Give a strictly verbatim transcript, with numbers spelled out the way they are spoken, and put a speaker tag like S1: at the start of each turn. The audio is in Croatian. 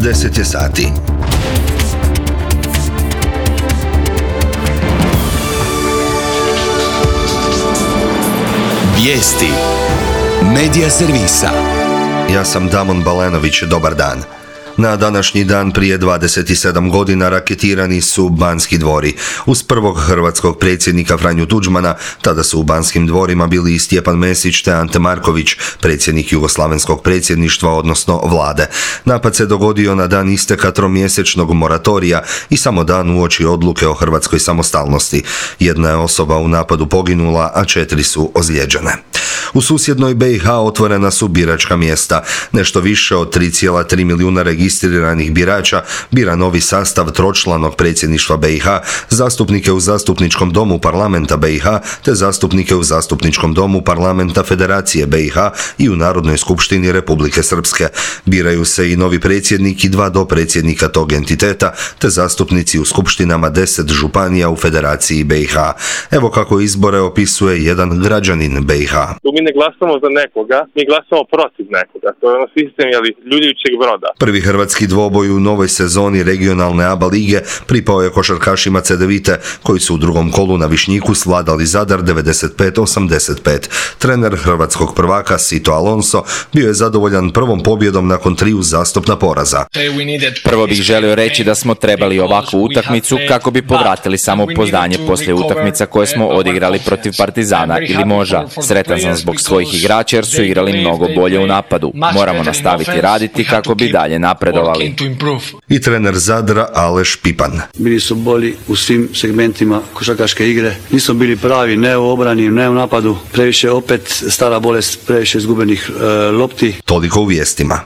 S1: deset je sati.
S2: Vijesti Medija servisa.
S1: Ja sam Damon Balenović, dobar dan. Na današnji dan prije dvadeset sedam godina raketirani su Banski dvori. Uz prvog hrvatskog predsjednika Franju Tuđmana, tada su u Banskim dvorima bili i Stjepan Mesić te Ante Marković, predsjednik jugoslavenskog predsjedništva, odnosno vlade. Napad se dogodio na dan isteka tromjesečnog moratorija i samo dan uoči odluke o hrvatskoj samostalnosti. Jedna je osoba u napadu poginula, a četiri su ozlijeđene. U susjednoj B i H otvorena su biračka mjesta. Nešto više od tri zarez tri milijuna registriranih birača bira novi sastav tročlanog predsjedništva B i H, zastupnike u Zastupničkom domu parlamenta B i H te zastupnike u Zastupničkom domu parlamenta Federacije B i H i u Narodnoj skupštini Republike Srpske. Biraju se i novi predsjednik i dva dopredsjednika tog entiteta te zastupnici u skupštinama deset županija u Federaciji B i H. Evo kako izbore opisuje jedan građanin B i H.
S3: Mi ne glasamo za nekoga, mi glasamo protiv nekoga. To je ono sistem jeli, ljuljujućeg broda.
S1: Prvi hrvatski dvoboj u novoj sezoni regionalne A B A lige pripao je košarkašima Cedevite, koji su u drugom kolu na Višnjiku svladali Zadar devedeset pet osamdeset pet. Trener hrvatskog prvaka Sito Alonso bio je zadovoljan prvom pobjedom nakon triju uzastopna poraza.
S4: Prvo bih želio reći da smo trebali ovakvu utakmicu kako bi povratili samopouzdanje poslije utakmica koje smo odigrali protiv Partizana ili Moža. Sretan sam zbog svojih igrača jer su igrali mnogo bolje u napadu. Moramo nastaviti raditi kako bi dalje napredovali.
S1: I trener Zadra Aleš Pipan.
S5: Bili su bolji u svim segmentima košarkaške igre. Nismo bili pravi ne u obrani, ne u napadu. Previše opet stara bolest, previše izgubenih e, lopti.
S1: Toliko u vijestima.